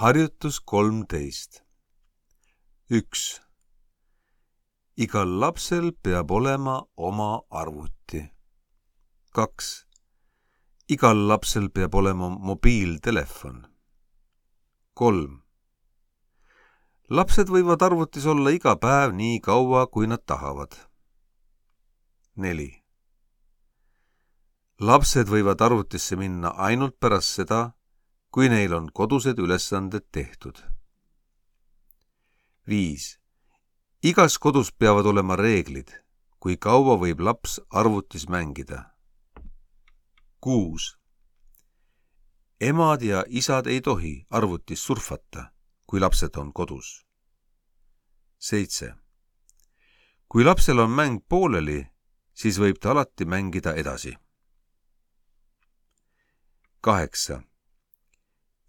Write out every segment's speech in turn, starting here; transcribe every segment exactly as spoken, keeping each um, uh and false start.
Harjutus kolmteist. üks. Igal lapsel peab olema oma arvuti. kaks. Igal lapsel peab olema mobiiltelefon. kolm. Lapsed võivad arvutis olla iga päev nii kaua, kui nad tahavad. neli. Lapsed võivad arvutisse minna ainult pärast seda, kui neil on kodused ülesanded tehtud. viis. Igas kodus peavad olema reeglid, kui kaua võib laps arvutis mängida. kuus. Emad ja isad ei tohi arvutis surfata, kui lapsed on kodus. seitse. Kui lapsel on mäng pooleli, siis võib ta alati mängida edasi. kaheksa.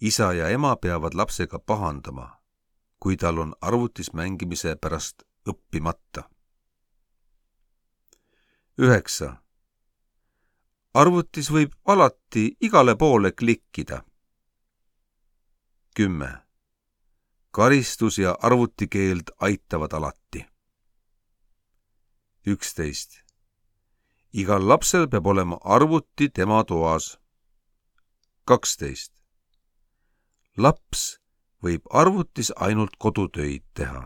Isa ja ema peavad lapsega pahandama, kui tal on arvutis mängimise pärast õppimata. üheksa. Arvutis võib alati igale poole klikkida. kümme. Karistus ja arvutikeeld aitavad alati. üksteist. Igal lapsel peab olema arvuti tema toas. kaksteist. Laps võib arvutis ainult kodutöid teha.